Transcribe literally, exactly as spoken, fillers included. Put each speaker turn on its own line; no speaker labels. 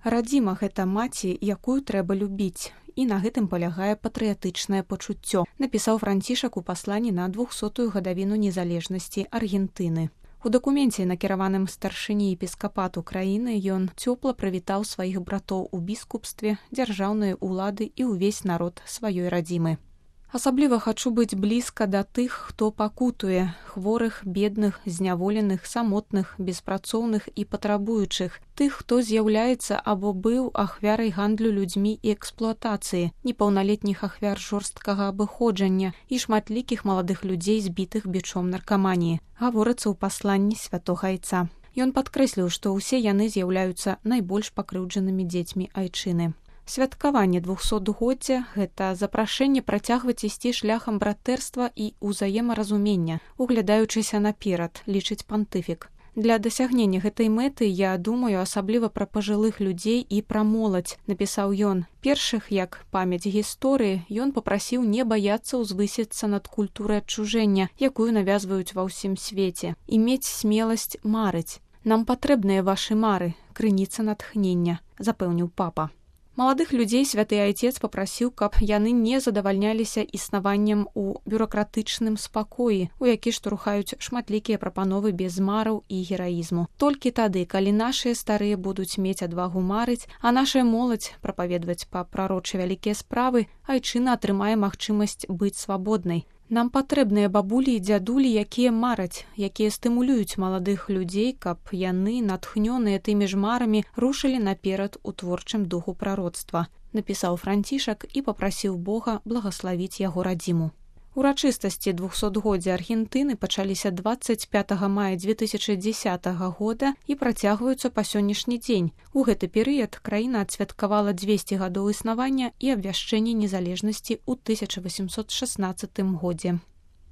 Радзіма – гэта маці, якую трэба любіць. І на гэтым палягае патрыятычнае пачуццё, напісаў Францішак у пасланні на двухсотую гадавіну незалежнасці Аргентыны. У дакуменце, накіраваным старшыні епіскапату краіны, ён цёпла прывітаў сваіх братоў у біскупстве, дзяржаўныя ўлады і ўвесь народ сваёй радзімы. Асабліва хачу быць блізка да тых, хто пакутуе, хворых, бедных, зняволеных, самотных, беспрацоўных і патрабуючых, тых, хто з'яўляецца або быў ахвярай гандлю людзьмі і эксплуатацыі, непаўналетніх ахвяр жорсткага абыходжання і шматлікіх маладых людзей, збітых бичом наркаманіі, гаворыцца ў пасланні святога айца. Ён падкрэсліў, што ўсе яны з'яўляюцца найбольш пакрыўджанымі дзецьмі айчыны. Святкаванне двухсотгоддзя – гэта запрашэнне працягваць ісці шляхам братэрства і ўзаемаразумення, углядаючыся наперад, лічыць пантыфік. Для дасягнення гэтай мэты я думаю асабліва пра пажылых людзей і пра моладзь, напісаў ён. Першых, як памяць гісторыі, ён папрасіў не баяцца ўзвысіцца над культурай адчужэння, якую навязваюць ва ўсім свеце, і мець смеласць марыць. Нам патрэбныя вашы мары, крыніца натхнення, запэўніў папа. Маладых людзей святы айцец папрасіў, каб яны не задавальняліся існаваннем у бюракратычным спакоі, у які штурхаюць шматлікія прапановы без мараў і гераізму. Толькі тады, калі нашыя старыя будуць мець адвагу марыць, а нашая моладзь прапаведваць па прарочы вялікія справы, айчына атрымае магчымасць быць свабоднай. Нам патрэбныя бабулі і дзядулі, якія мараць, якія стымулююць маладых людзей, каб яны, натхнёныя тымі ж марамі, рушылі наперад у творчым духу прароцтва, напісаў Францішак і папрасіў Бога благаславіць яго радзіму. Урачыстасці двухсотгоддзя Аргентыны пачаліся дваццаць пятага мая дзве тысячы дзесятага года і працягваюцца па сённяшні дзень. У гэты перыяд краіна адсвяткавала дзвесце гадоў існавання і абвяшчэння незалежнасці ў тысяча васемсот шаснаццатым годзе.